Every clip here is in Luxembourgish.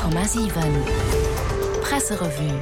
100,7 Presserevue.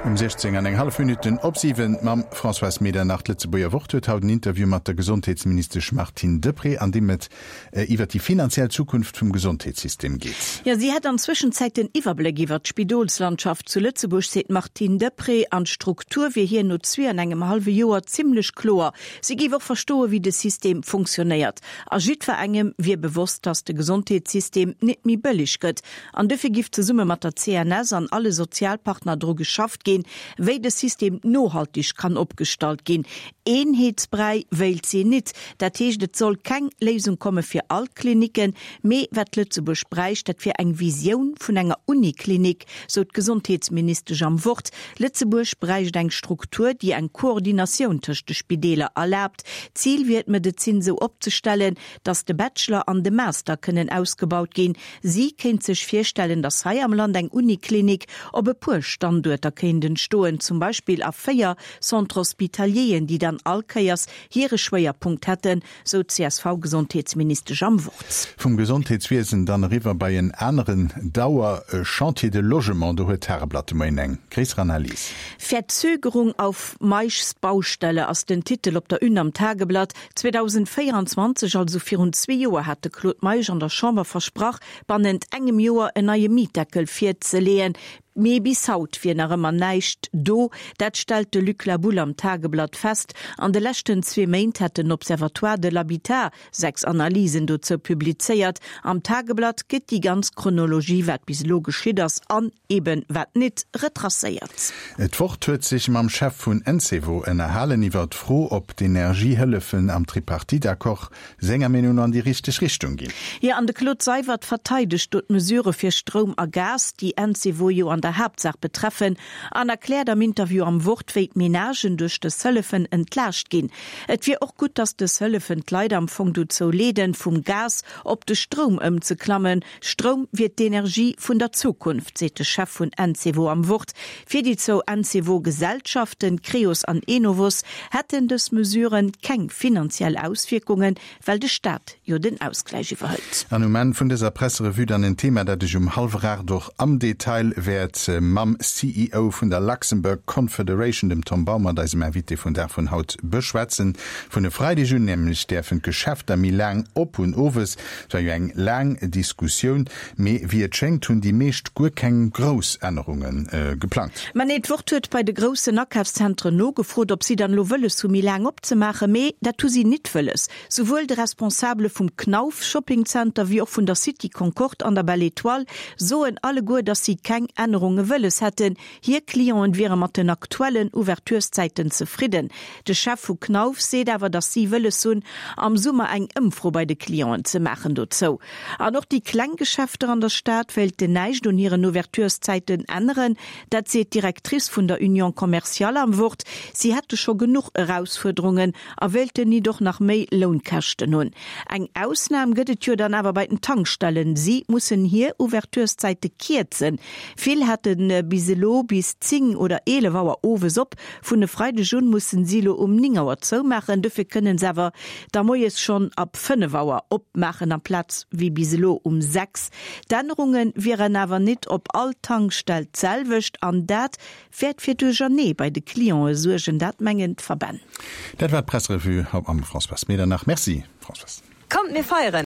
Um 16 an eng hallef Minutten op 7 mam Françoise Medernach. D'Lëtzebuerger Wort huet haut en Interview mat der Gesondheetsministesch Martine Deprez, an deem et iwwer déi finanziell Zukunft vum Gesondheetssystem geet. Jo, si hätt an Zwëschenzäit den Iwwerbléck iwwer d'Spidolslandschaft zu Lëtzebuerg, seet d'Martine Deprez. An d'Struktur wier hir no zwee an engem hallwe Joer zimmlech kloer. Si géif och verstoen, wéi de System funktionéiert. A jiddwerengem wier bewosst, datt de Gesondheetssystem nit méi bëlleg gëtt. An dofir giff zesumme mat der CNS an alle Sozialpartner dru geschafft ginn, wéi de System nohaltig kann opgestallt ginn. Eenheetsbräi wéilt si nit. Dat heescht, et soll keng Léisung komme fir all d'Klinicken, mee wat Lëtzebuerg bräicht, dat wier eng Visioun vun enger Uniklinik, sou d'Gesondheetsministesch am Wort. Lëtzebuerg bräicht eng Struktur, déi eng Koordinatioun tëscht de Spideeler erlaabt. D'Zil wier d'Medezin sou opzestellen, datt de Bachelor an de Master kënnen ausgebaut ginn. Si kéint sech virstellen, datt hei am Land eng Uniklinik op e puer Standuerter kéint entstoen, zum Beispill a 4 Centres hospitalieren, déi dann all Kéiers hire Schwéierpunkt hätten, sou d'CSV-Gesondheetsministesch am Wort. Vum Gesondheetswiesen dann eriwwer bei en aneren Dauer-Chantier, de Logement. Do huet d'Tageblatt de Moien eng gréisser Analys. Verzögerung auf Meischs Baustelle ass den Titel op der Une am Tageblatt. 2024, also virun zwee Joer, hat de Claude Meisch an der Chamber versprach, bannent engem Joer en neie Mietdeckel virzeleeën. Mee bis haut wier nach ëmmer näischt do. Dat stellt de Luc Laboulle am Tageblatt fest. An de leschten zwee Méint hätt den Observatoire de l'habitat 6 Analysen dozou publizéiert. Am Tageblatt gëtt déi ganz Chronologie, wat bis elo geschitt ass an eben wat nit, retracéiert. D'Wort huet sech mam Chef vun Encevo ënnerhalen iwwer d'Fro, ob d'Energiehëllefen am Tripartite-Accord senger Meenung no an déi richteg Richtung ginn. Jo, an de Claude Seywert verteidegt do d'Mesurë fir Stroum a Gas, déi Encevo jo an der Haaptsaach betreffen, an erkläert am Interview am Wort, wéi d'Menagen duerch dës Hëllefen entlaascht ginn. Et wier och gutt, datt dës Hëllefen d'Leit am Fong dozou leeden, vum Gas op de Stroum ëmzeklammen. Stroum wier d'Energie vun der Zukunft, seet de Chef vun Encevo am Wort. Fir déi zwou Encevo-Gesellschaften, Creos an Enovos, hätten dës Mesuren keng finanziell Auswierkungen, well de Staat jo den Ausgläich iwwerhëlt. An um Enn vun dëser Presserevue dann en Thema, dat ech um hallwer 8 och am Detail wäert mam CEO vun der Luxembourg Confederation, dem Tom Baumert, eisem Invité vun Dag vun haut, beschwätzen. Vun e Freideg un nämlech däerfen d'Geschäfter méi laang op hunn owes. Et war jo eng laang Diskussioun, mee wéi et schéngt hunn déi meescht guer keng grouss Ännerunge geplangt. Mä nee, d'Wort huet bei de groussen Akafszentren nogefrot, ob si dann elo wëlles hu méi laang opzemaachen. Mee dat hu si nit wëlles. Souwuel de Responsabele vum Knauf Shopping Center wéi och vun der City Concorde an der Belle Etoile soen alleguer, datt si keng Ännerunge wëlles hätten. Hir Clienten wiere mat den aktuellen Ouvertureszäiten zefridden. De Chef vu Knauf seet awer, datt si wëlles hunn, am Summer eng Ëmfro bei de Clienten ze maachen dozou. An och déi kleng Geschäfter an der Stad wéilten näischt un hiren Ouvertureszäiten änneren. Dat seet d'Directrice vun der Union commerciale am Wort. Si hätte scho genuch Erausfuerderungen a wéilten nit och nach méi Lounkäschten hunn. Eng Ausnam gëtt et jo dann awer bei den Tankstellen. Si mussen hir Ouvertureszäite kierzen. Vill hätte bis elo bis 10 oder 11 Auer owes op. Vun e Freideg un mussen si elo um 9 Auer zoumaachen. Dofir kënnen se awer da moies schonn ab 5 Auer opmaachen amplaz wéi bis elo um 6. D'Ännerunge wieren awer nit op all Tankstell d'selwecht an dat wäert fir Duerchernee bei de Clientë suergen, dat mengen d'Verbänn. Dat war d'Presserevue haut mam Françoise Medernach. Merci Françoise. Kommt mir feieren!